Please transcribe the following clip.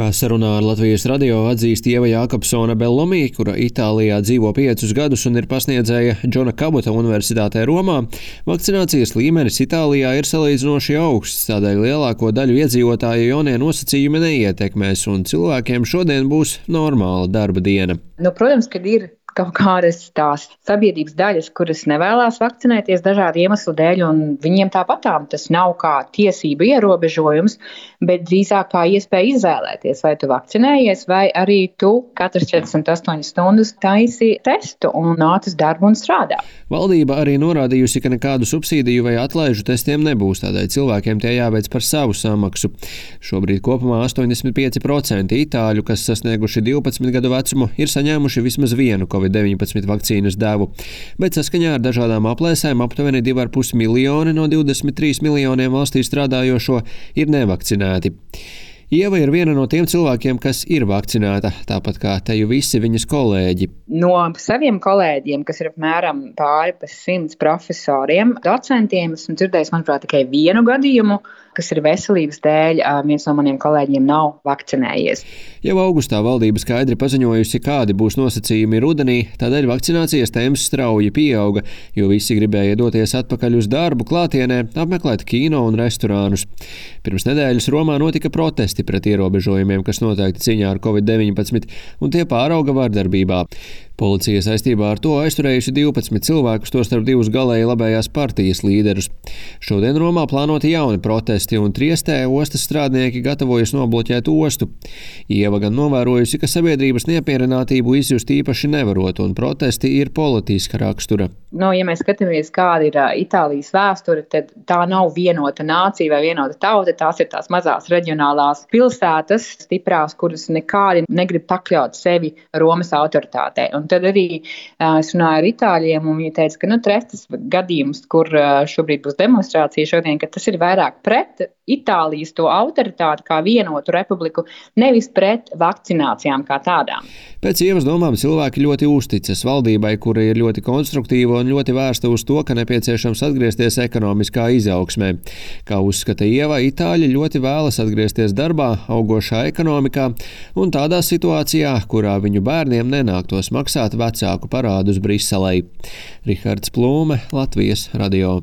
Kā sarunā ar Latvijas radio atzīst Ieva Jākopsone Bellomī, kura Itālijā dzīvo 5 gadus un ir pasniedzēja Džona Kabuta Universitātē Romā, vakcinācijas līmenis Itālijā ir salīdzinoši augsts, tādēļ lielāko daļu iedzīvotāju jaunie nosacījumi neietekmēs un cilvēkiem šodien būs normāla darba diena. Protams, kad ir kaut kādas tās sabiedrības daļas, kuras nevēlās vakcinēties dažādu iemeslu dēļ, un viņiem tāpatām tas nav kā tiesību ierobežojums, bet drīzāk kā iespēja izvēlēties, vai tu vakcinējies, vai arī tu katras 48 stundas taisi testu un nāc uz darbu un strādā. Valdība arī norādījusi, ka nekādu subsīdiju vai atlaižu testiem nebūs, tādēļ cilvēkiem tie jāveic par savu samaksu. Šobrīd kopumā 85% itāļu, kas sasnieguši 12 gadu vecumu, ir saņēmuši vismaz vienu COVID-19 vakcīnas devu, bet saskaņā ar dažādām aplēsēm aptuveni 2,5 miljoni no 23 miljoniem valstī strādājošo ir nevakcinēti. Ieva ir viena no tiem cilvēkiem, kas ir vakcinēta, tāpat kā teju visi viņas kolēģi. No saviem kolēģiem, kas ir apmēram pāri pa 100 profesoriem, docentiem, esmu dzirdējis, manuprāt, tikai vienu gadījumu, kas ir veselības dēļ, viens no maniem kolēģiem nav vakcinējies. Jau augustā valdība skaidri paziņojusi, kādi būs nosacījumi rudenī, tādēļ vakcinācijas temps strauji pieauga, jo visi gribēja doties atpakaļ uz darbu klātienē, apmeklēt kino un restorānus. Pirms nedēļas Romā notika protesti pret ierobežojumiem, kas noteikti cīņā ar COVID-19, un tie pārauga vardarbībā. Policija saistībā ar to aizturējusi 12 cilvēkus, tostarp 2 galēji labējās partijas līderus. Šodien Romā plānoti jauni protesti, un Triestē ostas strādnieki gatavojas nobloķēt ostu. Ieva gan novērojusi, ka sabiedrības neapmierinātību izjust īpaši nevarot, un protesti ir politiska rakstura. Ja mēs skatāmies, kāda ir Itālijas vēsture, tad tā nav vienota nācija vai vienota tauta, tās ir tās mazās reģionālās pilsētas, stiprās, kuras nekādi negrib pakļaut sevi Romas autoritātei. Un tad arī es runāju ar itāļiem, un viņi teica, ka Triestes gadījums, kur šobrīd būs demonstrācija šodien, ka tas ir vairāk pret Itālijas to autoritāti kā vienotu republiku, nevis pret vakcinācijām kā tādām. Pēc Ievas domām cilvēki ļoti uzticas valdībai, kura ir ļoti konstruktīva un ļoti vērsta uz to, ka nepieciešams atgriezties ekonomiskā izaugsmē. Kā uzskata Ieva, itāļi ļoti vēlas atgriezties darbā, augošā ekonomikā un tādā situācijā, kurā viņu bērniem nenāktos maksāt vecāku parādus Briselei. Rihards Plūme, Latvijas radio.